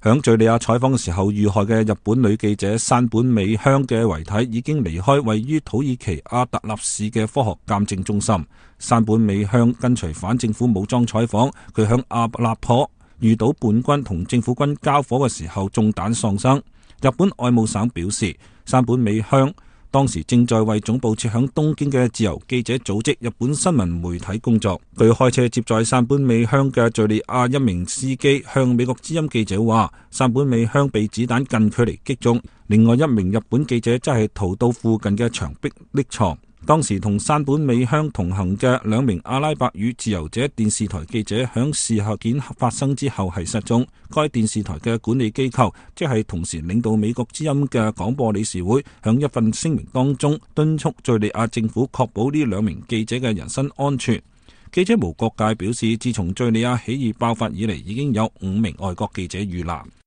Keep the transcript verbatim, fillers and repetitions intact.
響敘利亞採訪嘅時候遇害嘅日本女記者山本美香嘅遺體已經離開位於土耳其阿特納市嘅科學鑑證中心。山本美香跟隨反政府武裝採訪，佢響阿勒頗遇到叛軍同政府軍交火嘅時候中彈喪生。日本外務省表示，山本美香當時正在為總部設響東京嘅自由記者組織日本新聞媒體工作。據開車接載山本美香嘅敘利亞一名司機向美國之音記者話，山本美香被子彈近距離擊中。另外一名日本記者則係逃到附近嘅牆壁匿藏。當時同山本美香同行嘅兩名阿拉伯語自由者電視台記者響事件發生之後係失蹤。該電視台嘅管理機構即係同時領導美國之音嘅廣播理事會響一份聲明當中敦促敘利亞政府確保呢兩名記者嘅人身安全。記者無國界表示，自從敘利亞起義爆發以嚟，已經有五名外國記者遇難。